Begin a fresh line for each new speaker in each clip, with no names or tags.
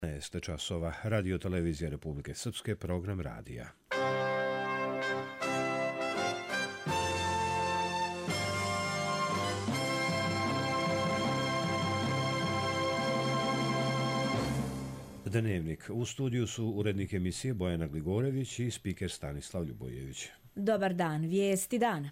15 časova, Radio Televizija Republike Srpske, program radija. Dnevnik. U studiju su urednik emisije Bojana Gligorević i spiker Stanislav Ljubojević.
Dobar dan, vijesti dana.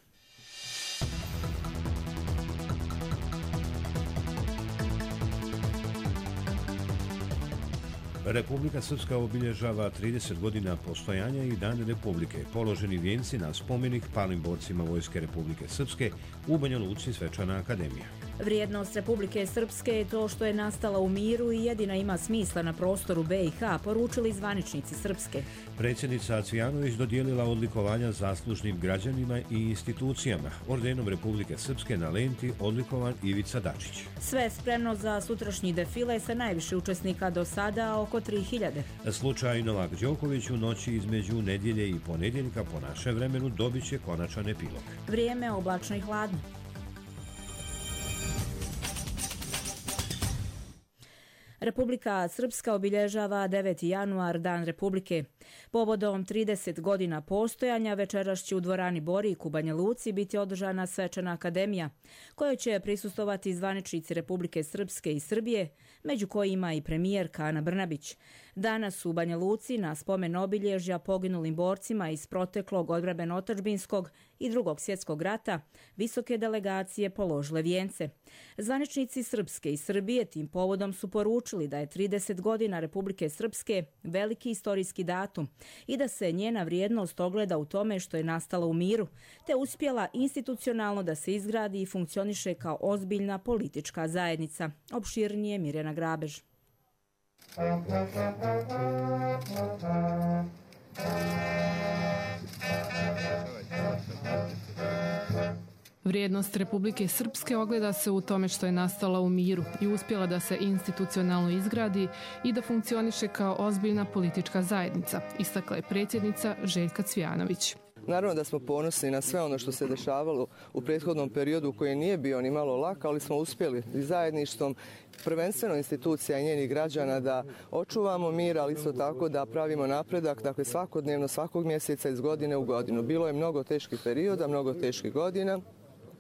Republika Srpska obilježava 30 godina postojanja i Dan Republike. Položeni vijenci na spomenik palim borcima Vojske Republike Srpske u Banja Luci, Svečana akademija.
Vrijednost Republike Srpske je to što je nastala u miru i jedina ima smisla na prostoru BiH, poručili zvaničnici Srpske.
Predsjednica Cvijanović dodijelila odlikovanja zaslužnim građanima i institucijama. Ordenom Republike Srpske na lenti odlikovan Ivica Dačić.
Sve spremno za sutrašnji defile sa najviše učesnika do sada, oko 3000.
Slučaj Novak Đoković u noći između nedjelje i ponedjeljka po našem vremenu dobit će konačan epilog.
Vrijeme oblačno i hladno. Republika Srpska obilježava 9. januar, Dan Republike. Povodom 30 godina postojanja večeras će u dvorani Borik u Banja Luci biti održana Svečana akademija, kojoj će prisustovati zvaničnici Republike Srpske i Srbije, među kojima i premijerka Ana Brnabić. Danas u Banja Luci na spomen obilježja poginulim borcima iz proteklog odbrambeno-otadžbinskog i Drugog svjetskog rata visoke delegacije položile vijence. Zvaničnici Srpske i Srbije tim povodom su poručili da je 30 godina Republike Srpske veliki istorijski datum i da se njena vrijednost ogleda u tome što je nastala u miru, te uspjela institucionalno da se izgradi i funkcioniše kao ozbiljna politička zajednica. Opširnije Mirjana Grabež.
Vrijednost Republike Srpske ogleda se u tome što je nastala u miru i uspjela da se institucionalno izgradi i da funkcioniše kao ozbiljna politička zajednica, istakla je predsjednica Željka Cvijanović.
Naravno da smo ponosni na sve ono što se dešavalo u prethodnom periodu koji nije bio ni malo lak, ali smo uspjeli i zajedništvom, prvenstveno institucija i njenih građana, da očuvamo mir, ali isto tako da pravimo napredak, dakle svakodnevno, svakog mjeseca iz godine u godinu. Bilo je mnogo teških perioda, mnogo teških godina,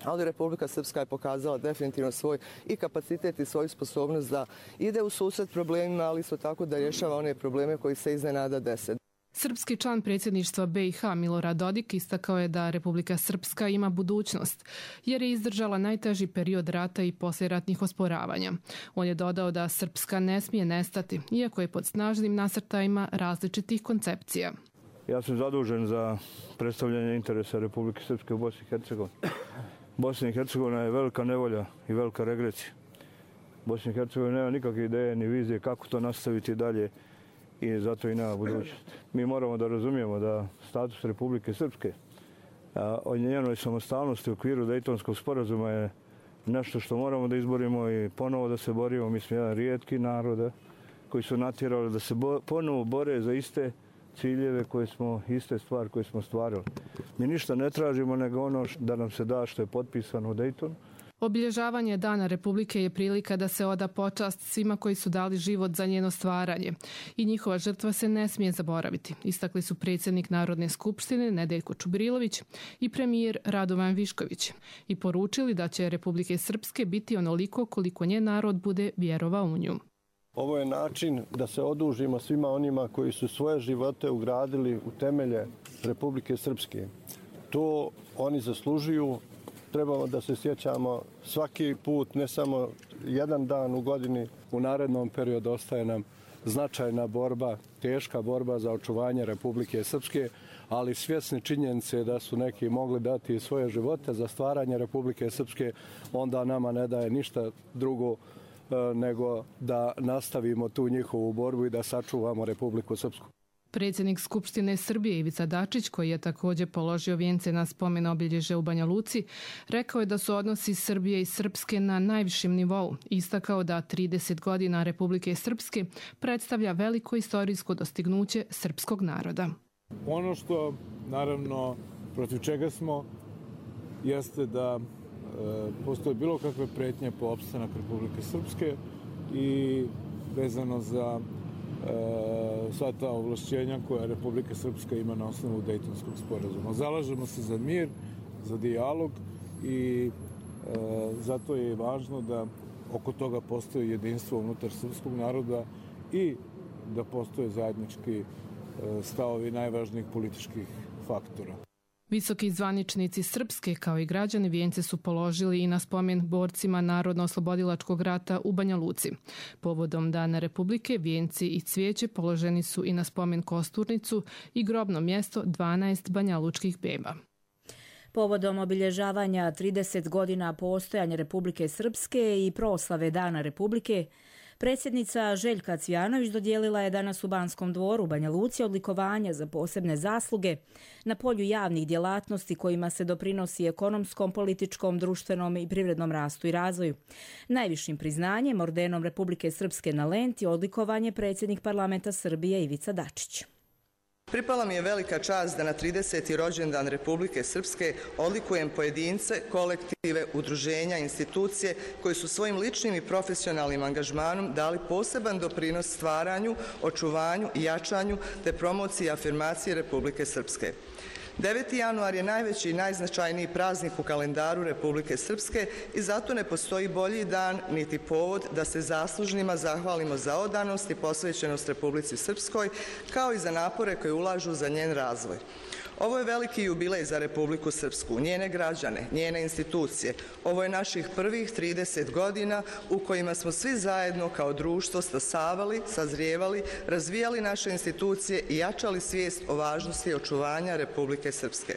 ali Republika Srpska je pokazala definitivno svoj i kapacitet i svoju sposobnost da ide u susret problemima, ali isto tako da rješava one probleme koji se iznenada dese.
Srpski član predsjedništva BiH Milorad Dodik istakao je da Republika Srpska ima budućnost, jer je izdržala najteži period rata i poslijeratnih osporavanja. On je dodao da Srpska ne smije nestati, iako je pod snažnim nasrtajima različitih koncepcija.
Ja sam zadužen za predstavljanje interesa Republike Srpske u Bosni i Hercegovini. Bosna i Hercegovina je velika nevolja i velika regresija. Bosna i Hercegovina nema nikakve ideje ni vizije kako to nastaviti dalje i zato i nema budućnosti. Mi moramo da razumijemo da status Republike Srpske o njenoj samostalnosti u okviru Dejtonskog sporazuma je nešto što moramo da izborimo i ponovo da se borimo. Mi smo jedan rijetki narod koji su natjerali da se ponovo bore za iste ciljeve iste stvari koje smo stvarili. Mi ništa ne tražimo nego ono da nam se da što je potpisano u Dejtonu.
Obilježavanje Dana Republike je prilika da se oda počast svima koji su dali život za njeno stvaranje i njihova žrtva se ne smije zaboraviti, istakli su predsjednik Narodne skupštine Nedeljko Čubrilović i premijer Radovan Višković i poručili da će Republike Srpske biti onoliko koliko njen narod bude vjerovao u nju.
Ovo je način da se odužimo svima onima koji su svoje živote ugradili u temelje Republike Srpske. To oni zaslužuju. Trebamo da se sjećamo svaki put, ne samo jedan dan u godini. U narednom periodu ostaje nam značajna borba, teška borba za očuvanje Republike Srpske, ali svjesni činjenice da su neki mogli dati svoje živote za stvaranje Republike Srpske, onda nama ne daje ništa drugo nego da nastavimo tu njihovu borbu i da sačuvamo Republiku Srpsku.
Predsjednik Skupštine Srbije Ivica Dačić, koji je također položio vijence na spomen obilježja u Banja Luci, rekao je da su odnosi Srbije i Srpske na najvišem nivou. Istakao da 30 godina Republike Srpske predstavlja veliko istorijsko dostignuće srpskog naroda.
Ono što, naravno, protiv čega smo, jeste da postoje bilo kakve pretnje po opstanak Republike Srpske i vezano za sva ta ovlašćenja koja Republika Srpska ima na osnovu Dejtonskog sporazuma. Zalažemo se za mir, za dijalog i zato je važno da oko toga postoji jedinstvo unutar srpskog naroda i da postoje zajednički stavovi najvažnijih političkih faktora.
Visoki zvaničnici Srpske kao i građani vijence su položili i na spomen borcima Narodno-oslobodilačkog rata u Banja Luci. Povodom Dana Republike vijenci i cvijeće položeni su i na spomen Kosturnicu i grobno mjesto 12 banjalučkih beba.
Povodom obilježavanja 30 godina postojanja Republike Srpske i proslave Dana Republike, predsjednica Željka Cvijanović dodijelila je danas u Banskom dvoru u Banja Luci odlikovanja za posebne zasluge na polju javnih djelatnosti kojima se doprinosi ekonomskom, političkom, društvenom i privrednom rastu i razvoju. Najvišim priznanjem, ordenom Republike Srpske na lenti, odlikovan je predsjednik parlamenta Srbije Ivica Dačić.
Pripala mi je velika čast da na 30. rođendan Republike Srpske odlikujem pojedince, kolektive, udruženja, institucije koji su svojim ličnim i profesionalnim angažmanom dali poseban doprinos stvaranju, očuvanju i jačanju te promociji i afirmaciji Republike Srpske. 9. januar je najveći i najznačajniji praznik u kalendaru Republike Srpske i zato ne postoji bolji dan niti povod da se zaslužnima zahvalimo za odanost i posvećenost Republici Srpskoj kao i za napore koje ulažu za njen razvoj. Ovo je veliki jubilej za Republiku Srpsku, njene građane, njene institucije. Ovo je naših prvih 30 godina u kojima smo svi zajedno kao društvo stasavali, sazrijevali, razvijali naše institucije i jačali svijest o važnosti očuvanja Republike Srpske.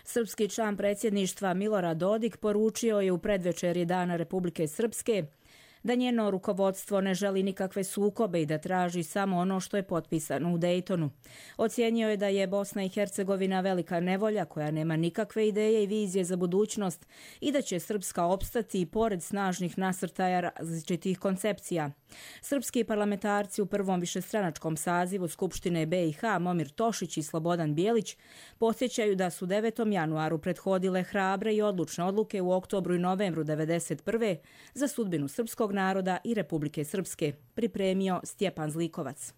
Srpski član predsjedništva Milorad Dodik poručio je u predvečerji Dana Republike Srpske da njeno rukovodstvo ne želi nikakve sukobe i da traži samo ono što je potpisano u Dejtonu. Ocijenio je da je Bosna i Hercegovina velika nevolja koja nema nikakve ideje i vizije za budućnost i da će Srpska opstati i pored snažnih nasrtaja različitih koncepcija. Srpski parlamentarci u prvom višestranačkom sazivu Skupštine BiH Momir Tošić i Slobodan Bijelić podsjećaju da su 9. januaru prethodile hrabre i odlučne odluke u oktobru i novembru 1991. za sudbinu srpskog naroda i Republike Srpske, pripremio Stjepan Zlikovac.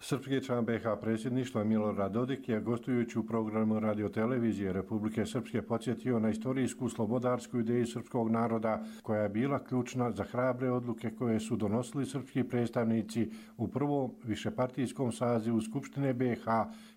Srpski član BiH predsjedništva Milorad Dodik je gostujući u programu radiotelevizije Republike Srpske podsjetio na istorijsku slobodarsku ideju srpskog naroda koja je bila ključna za hrabre odluke koje su donosili srpski predstavnici u prvom višepartijskom sazivu Skupštine BiH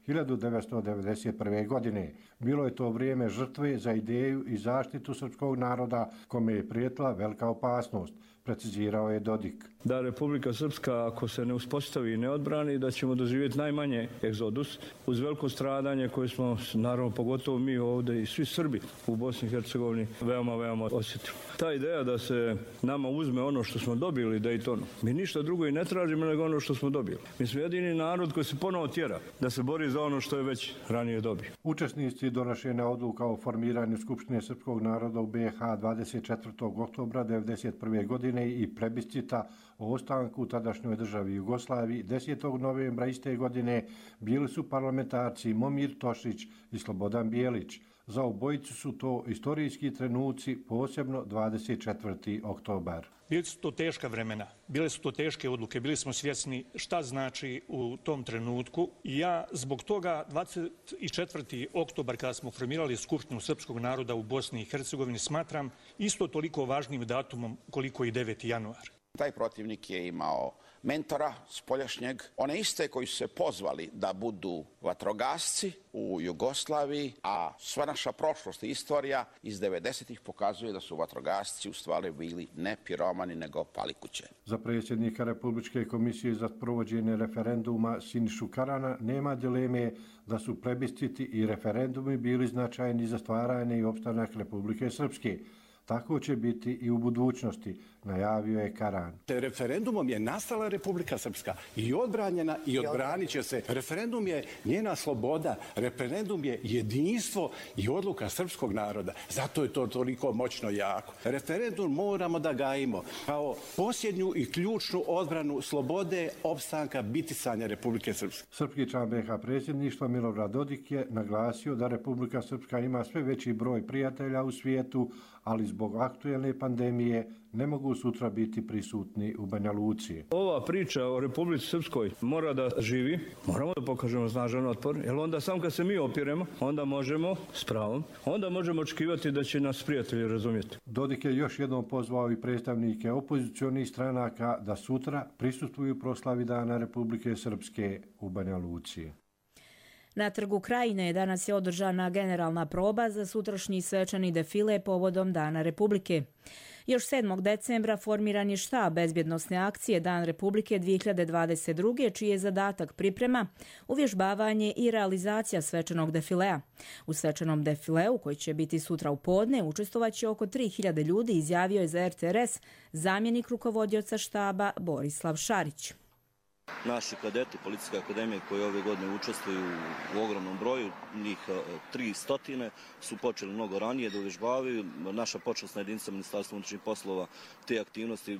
1991. godine. Bilo je to vrijeme žrtve za ideju i zaštitu srpskog naroda kome je prijetila velika opasnost, precizirao je Dodik.
Da Republika Srpska, ako se ne uspostavi i ne odbrani, da ćemo doživjeti najmanje egzodus uz veliko stradanje koje smo, naravno pogotovo mi ovdje i svi Srbi u Bosni i Hercegovini veoma osjetili. Ta ideja da se nama uzme ono što smo dobili Dejtonu, mi ništa drugo i ne tražimo nego ono što smo dobili. Mi smo jedini narod koji se ponovo tjera da se bori za ono što je već ranije dobio.
Učesnici donošenja odluka o formiranju Skupštine srpskog naroda u BiH 24. oktobra 1991. godine i plebiscita o ostanku u tadašnjoj državi Jugoslaviji 10. novembra iste godine bili su parlamentarci Momir Tošić i Slobodan Bijelić. Za obojicu su to istorijski trenuci, posebno 24. oktobar.
Bili su to teška vremena, bile su to teške odluke, bili smo svjesni šta znači u tom trenutku. I ja zbog toga 24. oktobar kada smo formirali Skupštinu srpskog naroda u Bosni i Hercegovini smatram isto toliko važnim datumom koliko i 9. januar.
Taj protivnik je imao mentora spoljašnjeg, one iste koji su se pozvali da budu vatrogasci u Jugoslaviji, a sva naša prošlost i istorija iz 90-ih pokazuje da su vatrogasci u stvari bili ne piromani nego palikuće.
Za predsjednika Republičke komisije za provođenje referenduma Sinišu Karana nema dileme da su plebisciti i referendumi bili značajni za stvaranje i opstanak Republike Srpske. Tako će biti i u budućnosti, najavio je Karan.
Referendumom je nastala Republika Srpska i odbranjena i odbranit će se. Referendum je njena sloboda, referendum je jedinstvo i odluka srpskog naroda. Zato je to toliko moćno jako. Referendum moramo da gajimo kao posljednju i ključnu odbranu slobode, opstanka, bitisanja Republike Srpske.
Srpski član BiH predsjedništva Milorad Dodik je naglasio da Republika Srpska ima sve veći broj prijatelja u svijetu, ali zbog aktuelne pandemije ne mogu sutra biti prisutni u Banja Luci.
Ova priča o Republici Srpskoj mora da živi, moramo da pokažemo snažan otpor, jer onda sam kad se mi opiremo, onda možemo, s pravom, onda možemo očekivati da će nas prijatelji razumjeti.
Dodik je još jednom pozvao i predstavnike opozicionih stranaka da sutra prisustvuju proslavi Dana Republike Srpske u Banja Luci.
Na Trgu Krajine danas je održana generalna proba za sutrašnji svečani defile povodom Dana Republike. Još 7. decembra formiran je štab bezbjednosne akcije Dan Republike 2022. čiji je zadatak priprema, uvježbavanje i realizacija svečanog defilea. U svečanom defileu, koji će biti sutra u podne, učestvovaće oko 3000 ljudi, izjavio je za RTRS zamjenik rukovodioca štaba Borislav Šarić.
Naši kadeti Policijske akademije koji ove godine učestvuju u ogromnom broju, njih 300, su počeli mnogo ranije da uvježbavaju. Naša počasna jedinica Ministarstva unutrašnjih poslova te aktivnosti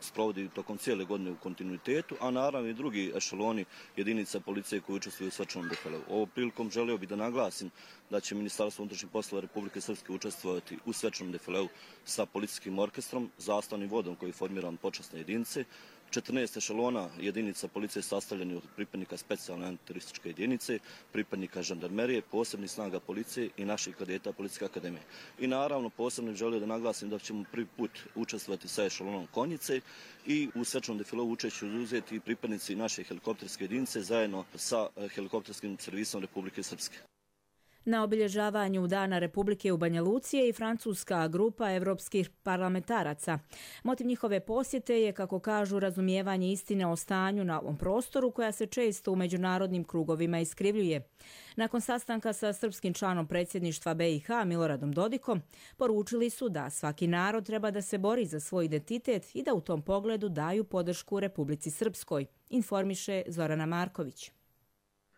sprovodi tokom cijele godine u kontinuitetu, a naravno i drugi ešeloni jedinica policije koji učestvuju u svečanom defileu. Ovom prilikom želio bih da naglasim da će Ministarstvo unutrašnjih poslova Republike Srpske učestvovati u svečanom defileu sa policijskim orkestrom, zastavnim vodom koji formiran počasne jedinice, 14 ešelona jedinica policije sastavljeni od pripadnika specijalne antiterorističke jedinice, pripadnika žandarmerije, posebnih snaga policije i naših kadeta Policijske akademije. I naravno posebno želio da naglasim da ćemo prvi put učestvovati sa ešelonom konjice i u svečanom defileu učešće uzeti i pripadnici naše helikopterske jedinice zajedno sa helikopterskim servisom Republike Srpske.
Na obilježavanju Dana Republike u Banja Luci je i francuska grupa evropskih parlamentaraca. Motiv njihove posjete je, kako kažu, razumijevanje istine o stanju na ovom prostoru koja se često u međunarodnim krugovima iskrivljuje. Nakon sastanka sa srpskim članom predsjedništva BiH Miloradom Dodikom, poručili su da svaki narod treba da se bori za svoj identitet i da u tom pogledu daju podršku Republici Srpskoj, informiše Zorana Marković.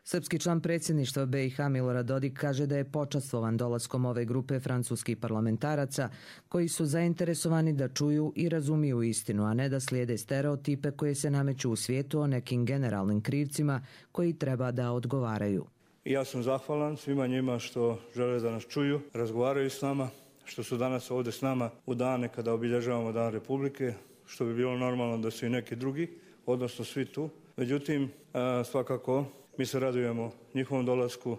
Srpski član predsjedništva BiH Milorad Dodik kaže da je počastvovan dolaskom ove grupe francuskih parlamentaraca koji su zainteresovani da čuju i razumiju istinu, a ne da slijede stereotipe koje se nameću u svijetu o nekim generalnim krivcima koji treba da odgovaraju.
Ja sam zahvalan svima njima što žele da nas čuju, razgovaraju s nama, što su danas ovdje s nama u dane kada obilježavamo Dan Republike, što bi bilo normalno da su i neki drugi, odnosno svi tu. Međutim, svakako mi se radujemo njihovom dolasku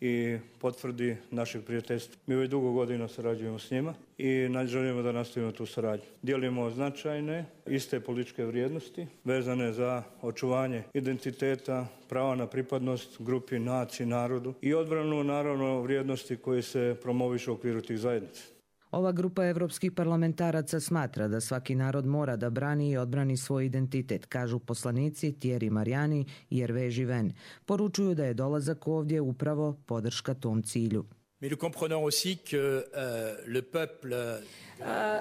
i potvrdi našeg prijateljstva. Mi već dugo godina sarađujemo s njima i želimo da nastavimo tu saradnju. Dijelimo značajne, iste političke vrijednosti vezane za očuvanje identiteta, prava na pripadnost grupi, naciji, narodu i odbranu, naravno, vrijednosti koje se promovišu u okviru tih zajednica.
Ova grupa evropskih parlamentaraca smatra da svaki narod mora da brani i odbrani svoj identitet, kažu poslanici Thierry Mariani i Hervé Given. Poručuju da je dolazak ovdje upravo podrška tom cilju.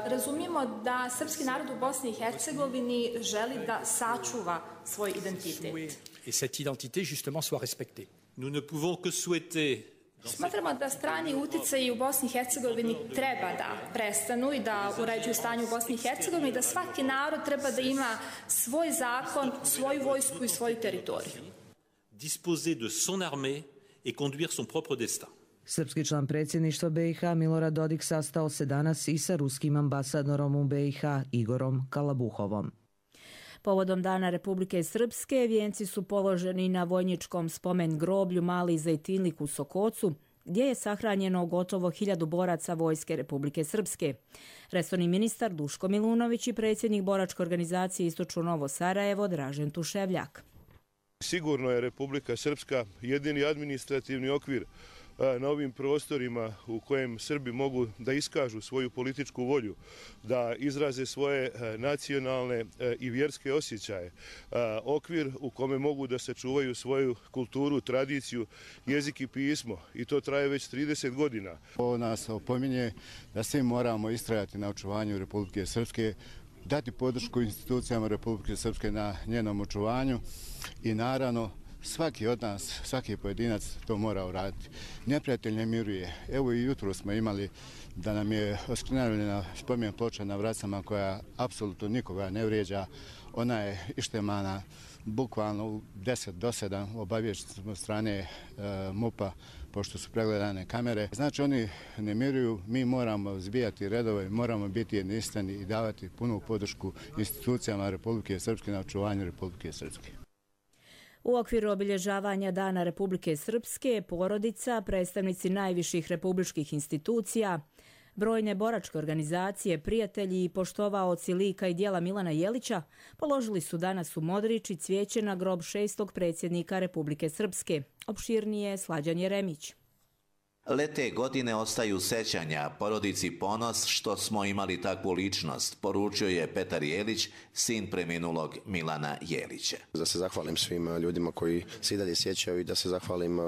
Razumijemo da srpski narod u Bosni i Hercegovini želi da sačuva svoj identitet.
Et cette identité justement soit respectée. Nous ne pouvons que souhaiter.
Smatramo da strani utjecaji u Bosni i Hercegovini treba da prestanu i da uređuju stanje u Bosni i Hercegovini i da svaki narod treba da ima svoj zakon, svoju vojsku i svoju teritoriju.
Disposer de son armée et conduire son propre destin.
Srpski član predsjedništva BiH Milorad Dodik sastao se danas i sa ruskim ambasadorom u BiH Igorom Kalabuhovom.
Povodom Dana Republike Srpske vijenci su položeni na vojničkom spomen groblju Mali Zejtinlik u Sokocu, gdje je sahranjeno gotovo 1000 boraca Vojske Republike Srpske. Resorni ministar Duško Milunović i predsjednik boračke organizacije Istočno Novo Sarajevo Dražen Tuševljak.
Sigurno je Republika Srpska jedini administrativni okvir na ovim prostorima u kojem Srbi mogu da iskažu svoju političku volju, da izraze svoje nacionalne i vjerske osjećaje, okvir u kome mogu da sačuvaju svoju kulturu, tradiciju, jezik i pismo, i to traje već 30 godina.
Ovo nas opominje da svi moramo istrajati na očuvanju Republike Srpske, dati podršku institucijama Republike Srpske na njenom očuvanju i naravno Svaki od nas, svaki pojedinac to mora uraditi. Neprijatelj ne miruje. Evo i jutro smo imali da nam je oskrnavljena spomen ploča na Vracama koja apsolutno nikoga ne vrijeđa. Ona je ištemana bukvalno u 10 do 7 obavješteno strane MUP-a pošto su pregledane kamere. Znači oni ne miruju, mi moramo zbijati redove, moramo biti jedinstveni i davati punu podršku institucijama Republike Srpske na očuvanju Republike Srpske.
U okviru obilježavanja Dana Republike Srpske, porodica, predstavnici najviših republičkih institucija, brojne boračke organizacije, prijatelji i poštovaoci lika i dijela Milana Jelića položili su danas u Modriči cvijeće na grob 6. predsjednika Republike Srpske. Opširnije Slađan Jeremić.
Lete godine ostaju sećanja, porodici ponos što smo imali takvu ličnost, poručio je Petar Jelić, sin preminulog Milana Jelića.
Da se zahvalim svim ljudima koji se i dalje sjećaju i da se zahvalim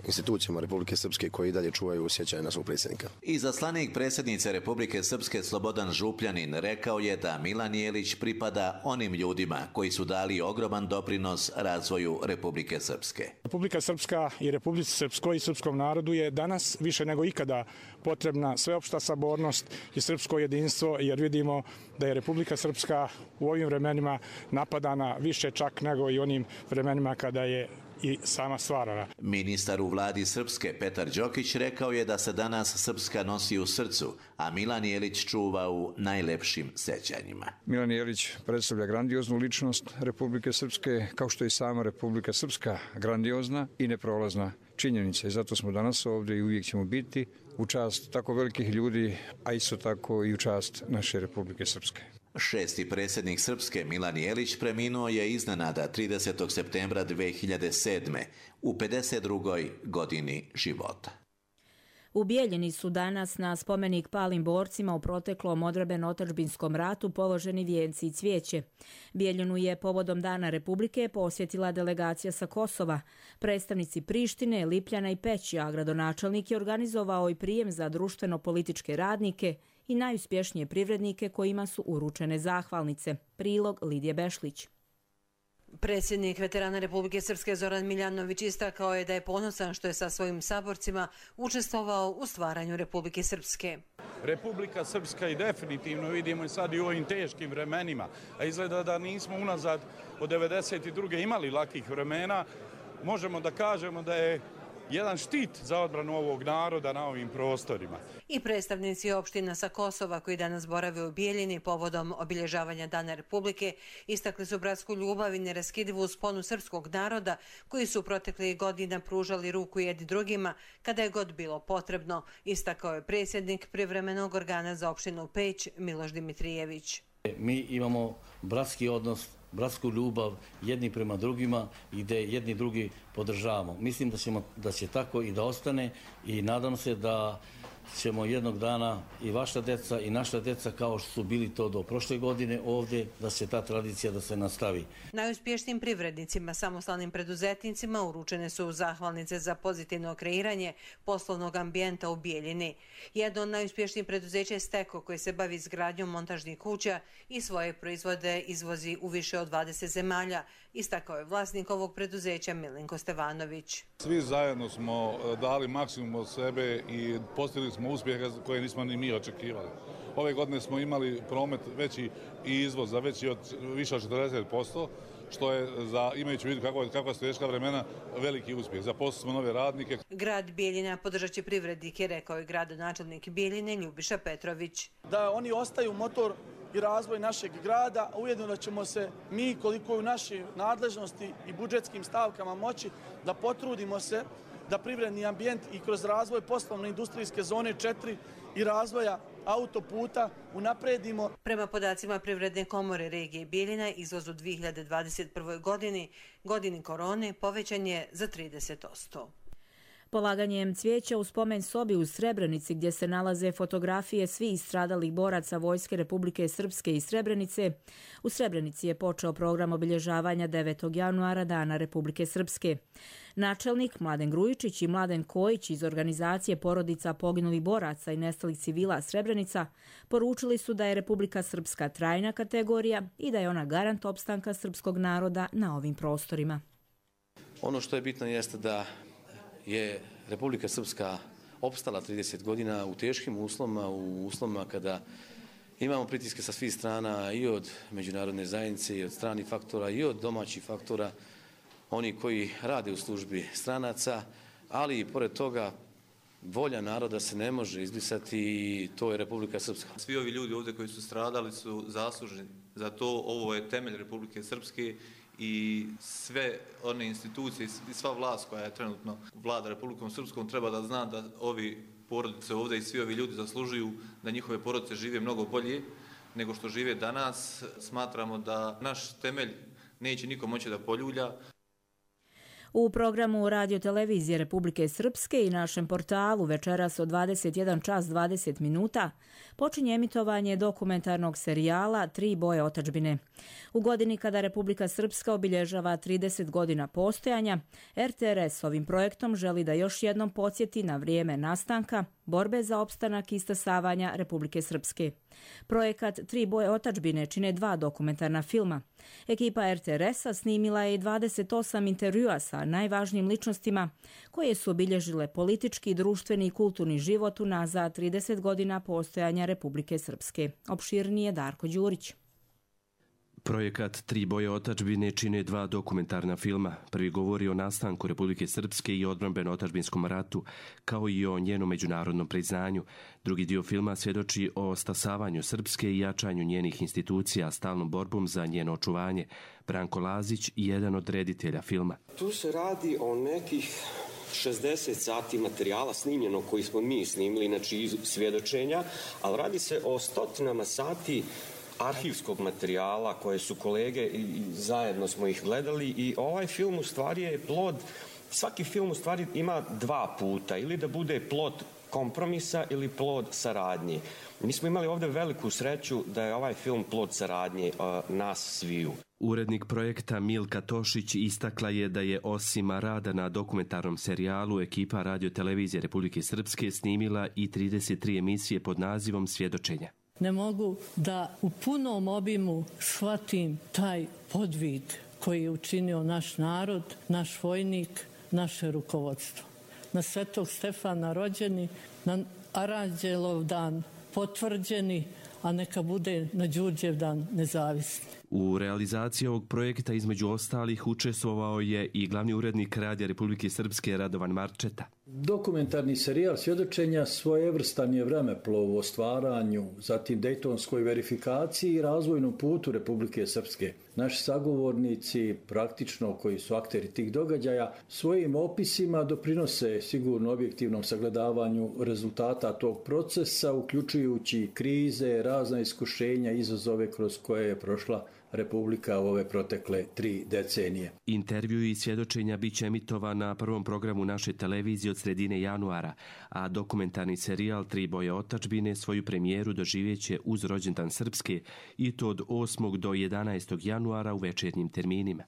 institucijama Republike Srpske koji i dalje čuvaju sjećanje na svog predsjednika.
Izaslanik predsjednice Republike Srpske Slobodan Župljanin rekao je da Milan Jelić pripada onim ljudima koji su dali ogroman doprinos razvoju Republike Srpske.
Republika Srpska i Republici Srpskoj i srpskom narodu je danas više nego ikada potrebna sveopšta sabornost i srpsko jedinstvo, jer vidimo da je Republika Srpska u ovim vremenima napadana više čak nego i onim vremenima kada je i sama stvarana.
Ministar u vladi Srpske Petar Đokić rekao je da se danas Srpska nosi u srcu, a Milan Jelić čuva u najlepšim sećanjima.
Milan Jelić predstavlja grandioznu ličnost Republike Srpske, kao što je i sama Republika Srpska grandiozna i neprolazna činjenica. I zato smo danas ovdje i uvijek ćemo biti u čast tako velikih ljudi, a isto tako i u čast naše Republike Srpske.
6. predsjednik Srpske Milan Jelić preminuo je iznenada 30. septembra 2007. u 52. godini života.
U Bijeljini su danas na spomenik palim borcima u proteklom odbrambeno-otadžbinskom ratu položeni vijenci i cvijeće. Bijeljinu je povodom Dana Republike posjetila delegacija sa Kosova. Predstavnici Prištine, Lipljana i Peći, a gradonačelnik je organizovao i prijem za društveno-političke radnike i najuspješnije privrednike kojima su uručene zahvalnice. Prilog Lidije Bešlić.
Predsjednik veterana Republike Srpske Zoran Miljanović istakao je da je ponosan što je sa svojim saborcima učestvovao u stvaranju Republike Srpske.
Republika Srpska i definitivno vidimo i sad i u ovim teškim vremenima, a izgleda da nismo unazad od 92. imali lakih vremena, možemo da kažemo da je jedan štit za odbranu ovog naroda na ovim prostorima.
I predstavnici opština sa Kosova koji danas borave u Bijeljini povodom obilježavanja Dana Republike istakli su bratsku ljubav i neraskidivu sponu srpskog naroda koji su proteklih godina pružali ruku jedni drugima kada je god bilo potrebno, istakao je predsjednik privremenog organa za opštinu Peć Miloš Dimitrijević.
Mi imamo bratski odnos, bratsku ljubav jedni prema drugima i gdje jedni drugi podržavamo. Mislim da će tako i da ostane i nadam se da ćemo jednog dana i vaša deca i naša deca, kao što su bili to do prošle godine ovdje, da se ta tradicija da se nastavi.
Najuspješnijim privrednicima, samostalnim preduzetnicima uručene su zahvalnice za pozitivno kreiranje poslovnog ambijenta u Bijeljini. Jedno od najuspješnijih preduzeća je Steko, koji se bavi izgradnjom montažnih kuća i svoje proizvode izvozi u više od 20 zemalja, istakao je vlasnik ovog preduzeća Milenko Stevanović.
Svi zajedno smo dali maksimum od sebe i postigli smo uspjehe koje nismo ni mi očekivali. Ove godine smo imali promet veći i izvoz za više od 40%, što je, imajući u vidu kakva su teška vremena, veliki uspjeh. Zaposlili smo nove radnike.
Grad Bijeljina podržat će privrednike, rekao je gradonačelnik Bijeljine Ljubiša Petrović.
Da oni ostaju motor i razvoj našeg grada, a ujedno da ćemo se mi, koliko je u našoj nadležnosti i budžetskim stavkama moći, da potrudimo se da privredni ambijent i kroz razvoj poslovne industrijske zone 4 i razvoja autoputa unapredimo.
Prema podacima Privredne komore regije Bijeljina, izvoz u 2021. godini korone, povećan je za 30%.
Polaganjem cvijeća u spomen sobi u Srebrenici, gdje se nalaze fotografije svih stradalih boraca Vojske Republike Srpske i Srebrenice, u Srebrenici je počeo program obilježavanja 9. januara Dana Republike Srpske. Načelnik Mladen Grujičić i Mladen Kojić iz organizacije porodica poginulih boraca i nestalih civila Srebrenica poručili su da je Republika Srpska trajna kategorija i da je ona garant opstanka srpskog naroda na ovim prostorima.
Ono što je bitno jeste da je Republika Srpska opstala 30 godina u teškim uslovima, u uslovima kada imamo pritiske sa svih strana i od međunarodne zajednice i od stranih faktora i od domaćih faktora, oni koji rade u službi stranaca, ali i pored toga volja naroda se ne može izbrisati i to je Republika Srpska.
Svi ovi ljudi ovdje koji su stradali su zasluženi za to. Ovo je temelj Republike Srpske i sve one institucije i sva vlast koja je trenutno vlada Republikom Srpskom treba da zna da ovi porodice ovdje i svi ovi ljudi zaslužuju da njihove porodice žive mnogo bolje nego što žive danas. Smatramo da naš temelj neće niko moći da poljulja.
U programu Radio televizije Republike Srpske i našem portalu večeras od 21 čas 20 minuta počinje emitovanje dokumentarnog serijala Tri boje otadžbine. U godini kada Republika Srpska obilježava 30 godina postojanja, RTRS ovim projektom želi da još jednom podsjeti na vrijeme nastanka, borbe za opstanak i stasavanja Republike Srpske. Projekat Tri boje otadžbine čine 2 dokumentarna filma. Ekipa RTRS-a snimila je 28 intervjua sa najvažnijim ličnostima koje su obilježile politički, društveni i kulturni život unazad 30 godina postojanja Republike Srpske. Opširnije Darko Đurić.
Projekat Tri boje otadžbine čine 2 dokumentarna filma. Prvi govori o nastanku Republike Srpske i odbrambeno-otadžbinskom ratu, kao i o njenom međunarodnom priznanju. Drugi dio filma svjedoči o stasavanju Srpske i jačanju njenih institucija, stalnom borbom za njeno očuvanje. Branko Lazić, jedan od reditelja filma.
Tu se radi o nekih 60 sati materijala snimljeno koji smo mi snimili, znači iz svjedočenja, ali radi se o stotinama sati arhivskog materijala koje su kolege i zajedno smo ih gledali i ovaj film u stvari je plod, svaki film u stvari ima 2 puta, ili da bude plod kompromisa ili plod saradnje. Mi smo imali ovdje veliku sreću da je ovaj film plod saradnje nas sviju.
Urednik projekta Milka Tošić istakla je da je osim rada na dokumentarnom serijalu ekipa Radio televizije Republike Srpske snimila i 33 emisije pod nazivom Svjedočenja.
Ne mogu da u punom obimu shvatim taj podvid koji je učinio naš narod, naš vojnik, naše rukovodstvo. Na Svetog Stefana rođeni, na Aranđelov dan potvrđeni, a neka bude na Đurđev dan nezavisni.
U realizaciji ovog projekta između ostalih učestvovao je i glavni urednik Radija Republike Srpske Radovan Marčeta.
Dokumentarni serijal Svjedočenja svojevrstan je vremeplov o stvaranju, zatim dejtonskoj verifikaciji i razvojnom putu Republike Srpske. Naši sagovornici, praktično koji su akteri tih događaja, svojim opisima doprinose sigurno objektivnom sagledavanju rezultata tog procesa, uključujući krize, razna iskušenja, izazove kroz koje je prošla Republika u ove protekle 3 decenije.
Intervju i svjedočenja bit će emitovan na prvom programu naše televizije od sredine januara, a dokumentarni serijal Tri boje otadžbine svoju premijeru doživjeće uz rođendan Srpske i to od 8. do 11. januara u večernjim terminima.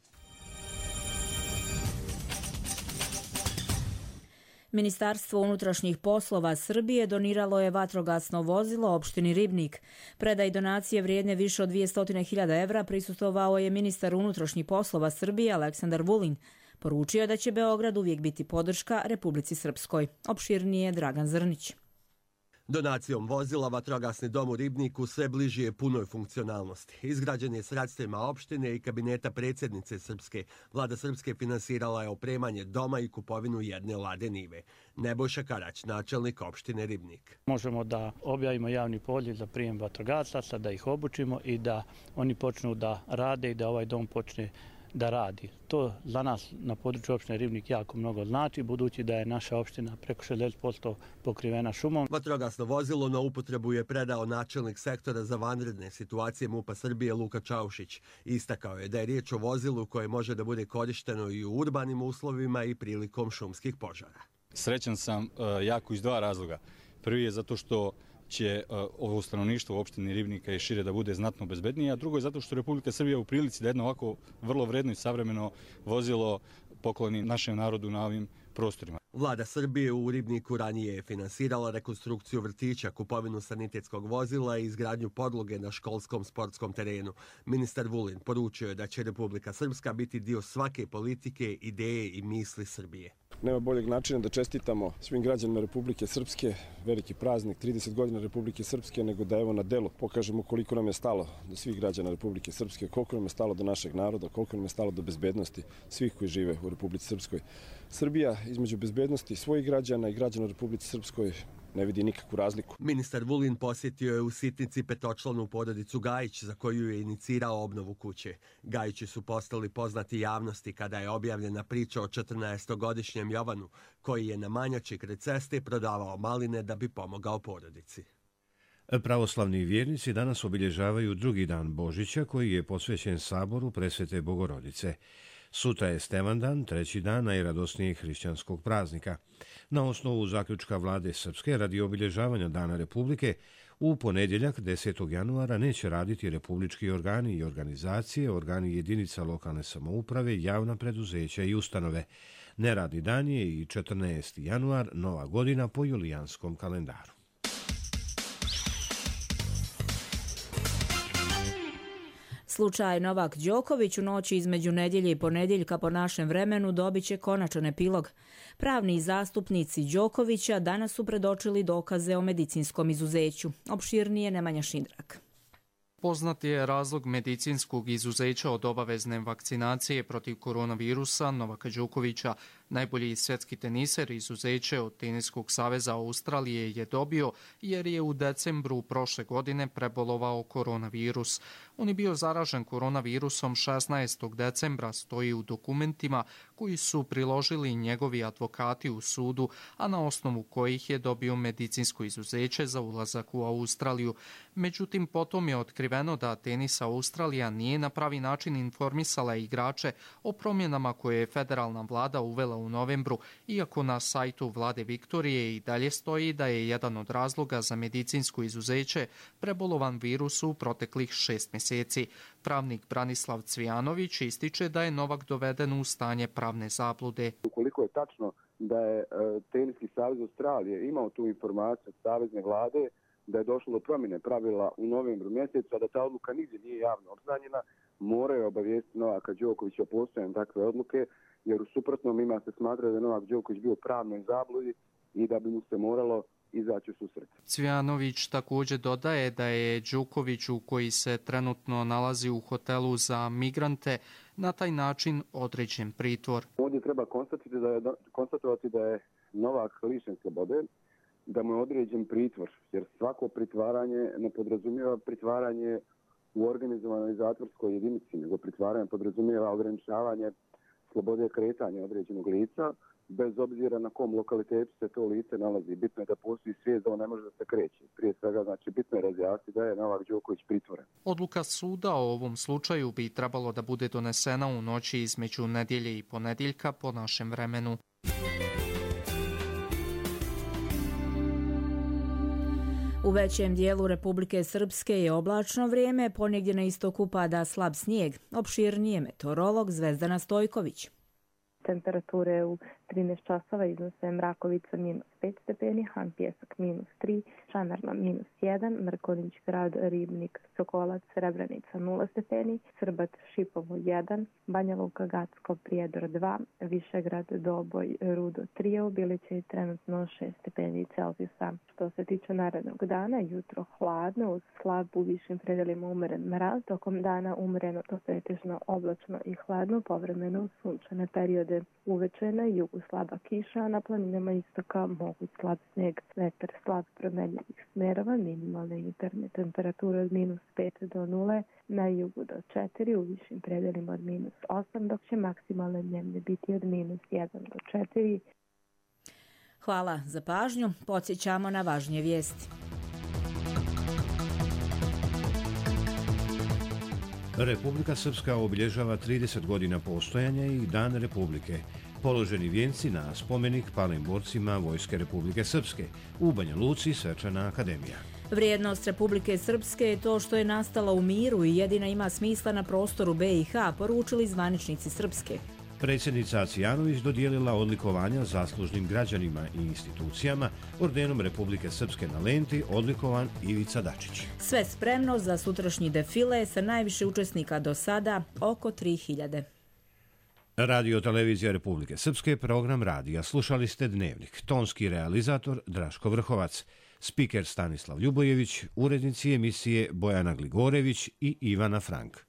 Ministarstvo unutrašnjih poslova Srbije doniralo je vatrogasno vozilo opštini Ribnik. Predaj donacije vrijedne više od 200.000 evra prisustvovao je ministar unutrašnjih poslova Srbije Aleksandar Vulin. Poručio je da će Beograd uvijek biti podrška Republici Srpskoj. Opširnije Dragan Zrnić.
Donacijom vozila vatrogasni dom u Ribniku sve bliži je punoj funkcionalnosti. Izgrađen je sredstvima opštine i kabineta predsjednice Srpske. Vlada Srpske finansirala je opremanje doma i kupovinu jedne lade nive. Nebojša Karać, načelnik opštine Ribnik.
Možemo da objavimo javni poziv za prijem vatrogasaca, da ih obučimo i da oni počnu da rade i da ovaj dom počne da radi. To za nas na području opštine Ribnik jako mnogo znači, budući da je naša opština preko 60% pokrivena šumom.
Vatrogasno vozilo na upotrebu je predao načelnik sektora za vanredne situacije MUP-a Srbije Luka Čaušić. Istakao je da je riječ o vozilu koje može da bude korišteno i u urbanim uslovima i prilikom šumskih požara.
Srećan sam jako iz 2 razloga. Prvi je zato što će ovo stanovništvo u opštini Ribnika i šire da bude znatno bezbednije, a drugo je zato što Republika Srbija u prilici da jedno ovako vrlo vredno i savremeno vozilo pokloni našem narodu na ovim prostorima.
Vlada Srbije u Ribniku ranije je finansirala rekonstrukciju vrtića, kupovinu sanitetskog vozila i izgradnju podloge na školskom sportskom terenu. Ministar Vulin poručio je da će Republika Srpska biti dio svake politike, ideje i misli Srbije.
Nema boljeg načina da čestitamo svim građanima Republike Srpske veliki praznik 30 godina Republike Srpske nego da evo na delu pokažemo koliko nam je stalo do svih građana Republike Srpske, koliko nam je stalo do našeg naroda, koliko nam je stalo do bezbednosti svih koji žive u Republici Srpskoj. Srbija između bezbednosti svojih građana i građana u Republici Srpskoj ne vidi nikakvu razliku.
Ministar Vulin posjetio je u Sitnici petočlanu porodicu Gajić za koju je inicirao obnovu kuće. Gajići su postali poznati javnosti kada je objavljena priča o 14-godišnjem Jovanu koji je na Manjači kraj ceste prodavao maline da bi pomogao porodici.
Pravoslavni vjernici danas obilježavaju drugi dan Božića koji je posvećen saboru Presvete Bogorodice. Sutra je Stevandan, treći dan najradosnijeg hrišćanskog praznika. Na osnovu zaključka vlade Srpske radi obilježavanja Dana Republike, u ponedjeljak 10. januara neće raditi republički organi i organizacije, organi jedinica lokalne samouprave, javna preduzeća i ustanove. Neradni dan je i 14. januar, nova godina po julijanskom kalendaru.
Slučaj Novak Đoković u noći između nedjelje i ponedjeljka po našem vremenu dobit će konačan epilog. Pravni zastupnici Đokovića danas su predočili dokaze o medicinskom izuzeću. Opširnije Nemanja Šindrak.
Poznat je razlog medicinskog izuzeća od obavezne vakcinacije protiv koronavirusa Novaka Đokovića. Najbolji svjetski teniser izuzeće od Teniskog saveza Australije je dobio jer je u decembru prošle godine prebolovao koronavirus. On je bio zaražen koronavirusom 16. decembra, stoji u dokumentima koji su priložili njegovi advokati u sudu, a na osnovu kojih je dobio medicinsko izuzeće za ulazak u Australiju. Međutim, potom je otkriveno da Tenis Australija nije na pravi način informisala igrače o promjenama koje je federalna vlada uvela u novembru, iako na sajtu vlade Viktorije i dalje stoji da je jedan od razloga za medicinsko izuzeće prebolovan virus u proteklih 6 mjeseci. Pravnik Branislav Cvijanović ističe da je Novak doveden u stanje pravne zablude.
Ukoliko je tačno da je Teniski savez Australije imao tu informaciju od savezne vlade, da je došlo do promjene pravila u novembru mjesecu, a da ta odluka nigdje nije javno obznanjena, moraju obavijestiti Novaka Đokovića o postojanju takve odluke, jer u suprotnom ima se smatra da je Novak Đoković bio u pravnoj zabludi i da bi mu se moralo izaći u susret.
Cvijanović također dodaje da je Đokoviću, koji se trenutno nalazi u hotelu za migrante, na taj način određen pritvor.
Ovdje treba konstatovati da je Novak lišen slobode, da mu je određen pritvor, jer svako pritvaranje ne podrazumijeva pritvaranje u organizovanoj zatvorskoj jedinici, nego pritvaranje podrazumijeva ograničavanje slobode kretanja određenog lica, bez obzira na kom lokalitetu se to lice nalazi. Bitno je da postoji svijest da on ne može da se kreće. Prije svega, znači, bitno je razjasniti da je Novak Đoković pritvoren.
Odluka suda o ovom slučaju bi trebalo da bude donesena u noći između nedjelje i ponedjeljka po našem vremenu.
U većem dijelu Republike Srpske je oblačno vrijeme, ponegdje na istoku pada slab snijeg. Opširnije meteorolog Zvezdana Stojković.
Temperature u 13 časova iznose Mrakovica -5 stepeni, Han Pjesak -3, Šamerna -1, Mrkonjić grad, Ribnik, Sokolac, Srebrenica 0 stepeni, Srbat, Šipovo 1, Banja Luka, Gacko, Prijedor 2, Višegrad, Doboj, Rudo 3, Biliće i trenutno 6 stepeni Celzijusa. Što se tiče narednog dana, jutro hladno, uz slab u višim predelima umeren mraz, tokom dana umereno do pretežno oblačno i hladno, povremeno sunčane periode. Uveče na jugu slaba kiša, a na planinama istoka moguć slab sneg, vetar slab promenljivih smerova, minimalne jutarnje temperature od -5 do 0, na jugu do 4, u višim predelima od -8, dok će maksimalne dnevne biti od -1 do 4.
Hvala za pažnju. Podsjećamo na važnije vijesti.
Republika Srpska obilježava 30 godina postojanja i Dan Republike. Položeni vijenci na spomenik palim borcima Vojske Republike Srpske. U Banja Luci svečana akademija.
Vrijednost Republike Srpske je to što je nastala u miru i jedina ima smisla na prostoru BiH, poručili zvaničnici Srpske.
Predsjednica Acijanović dodijelila odlikovanja zaslužnim građanima i institucijama, ordenom Republike Srpske na lenti odlikovan Ivica Dačić.
Sve spremno za sutrašnji defile sa najviše učesnika do sada, oko 3000.
Radio Televizija Republike Srpske, program radija. Slušali ste Dnevnik. Tonski realizator Draško Vrhovac, spiker Stanislav Ljubojević, urednici emisije Bojana Gligorević i Ivana Frank.